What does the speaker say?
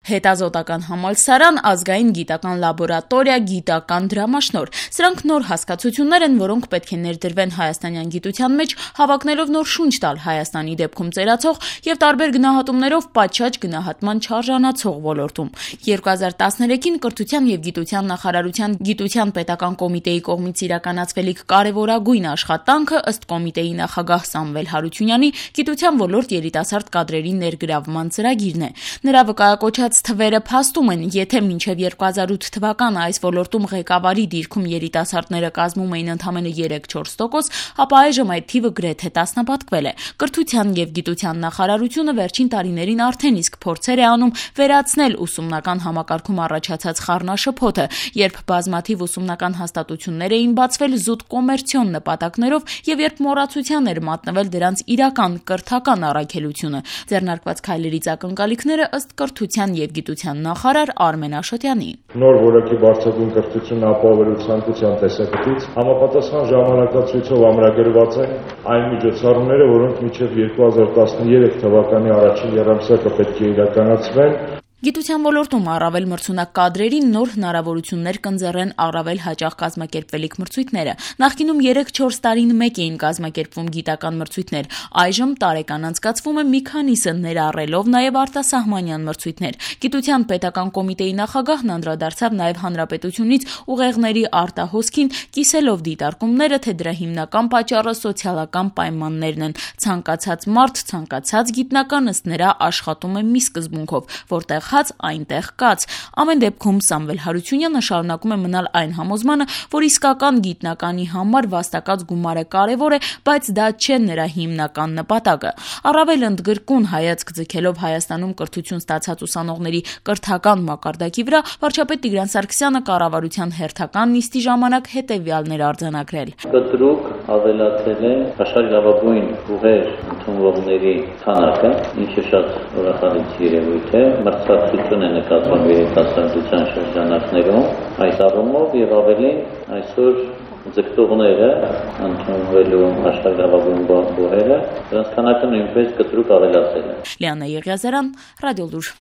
հետազոտական համալսարան, ազգային գիտական լաբորատորիա, գիտական դրամաշնոր։ Սրանք նոր հասկացություններ են, որոնք պետք է ներդրվեն հայաստանյան գիտության մեջ, հավակնելով նոր շունչ տալ Հայաստանի դեպքում ծերացող եւ տարբեր գնահատումներով պատշաճ գնահատման չարժանացող ոլորտում։ 2013-ին Կրթության եւ գիտության նախարարության գիտության պետական կոմիտեի կողմից իրականացվելիք կարևորագույն աշխատանքը ըստ կոմիտեի նախագահ Սամվել Հարությունյանի գիտության ոլորտ երիտասարդ կադրերի ներգրավման ծրագիրն է։ Նրա վկայակոչած թվերը փաստում են, եթե մինչև 2008 թվականը այս ոլորտում ղեկավարի դիրքում երիտասարդները կազմում էին ընդամենը 3-4%, ապա այժմ այդ թիվը գրեթե տասնապատկվել է։ Կրթության եւ գիտության նախարարությունը վերջին տարիներին արդեն իսկ փորձեր է անում վերացնել ուսումնական համակարգում առաջացած խառնաշփոթը, երբ բազմաթիվ ուսումնական հաստատություններ էին բացվել զուտ կոմերցիոն նպատակներով եւ երբ մոռացության էր մատնվել դրանց իրական կրթական առաքելությունը։ Ձեռնարկված քայլերից ակնկալիքները ըստ Կրթության եւ գիտության նախարար Արմեն Աշոտյանի։ Նոր որակի բարձրագույն կրթություն ապահովելու ցանկության տեսակետից համապատասխան ժամանակացույցով ամրագրված են այն միջոցառումները, որոնք մինչև 2013 թվականի առաջին եռամսյակը պետք է իրականացվեն։ Գիտության ոլորտում առավել մրցունակ կադրերին նոր հնարավորություններ կընձեռեն առավել հաճախ կազմակերպվելիք մրցույթները։ Նախկինում 3-4 տարին մեկ էին կազմակերպվում գիտական մրցույթներ, այժմ տարեկան անցկացվում է մի քանիսը, ներառելով նաև արտասահմանյան մրցույթներ։ Գիտության պետական կոմիտեի նախագահն անդրադարձավ նաև հանրապետությունից ուղեղների արտահոսքին, կիսելով դիտարկումները, թե դրա հիմնական պատճառը սոցիալական պայմաններն են։ Ցանկացած մարդ, ցանկացած գիտնական ըստ նրա աշխատում է մի սկզբունքով, որտեղ հաց այնտեղ կաց։ Ամեն դեպքում Սամվել Հարությունյանը շարունակում է մնալ այն համոզմանը, որ իսկական գիտնականի համար վաստակած գումարը կարևոր է, բայց դա չէ նրա հիմնական նպատակը։ Առավել ընդգրկուն հայացք ձգելով Հայաստանում կրթություն ստացած ուսանողների կրթական մակարդակի վրա, վարչապետ Տիգրան Սարգսյանը կառավարության հերթական նիստի ժամանակ հետևյալն էր արձանագրել։ Կտրուկ ավելացել է աշխարհագրավագույն ուղեր ընդունվողների քանակը, ինչը շատ ուրախալից երևույթ է։ Մրցակցություն է նկատվում երիտասարդության շրջանակներում այդ առումով եւ ավելին այսօր ձգտողները ընդունվելու աշխարհագրավագույն բուհերը դրանց քանակը նույնպես կտրուկ ավելացել է։ Լիանա Եղիազարյան, Ռադիոլուր։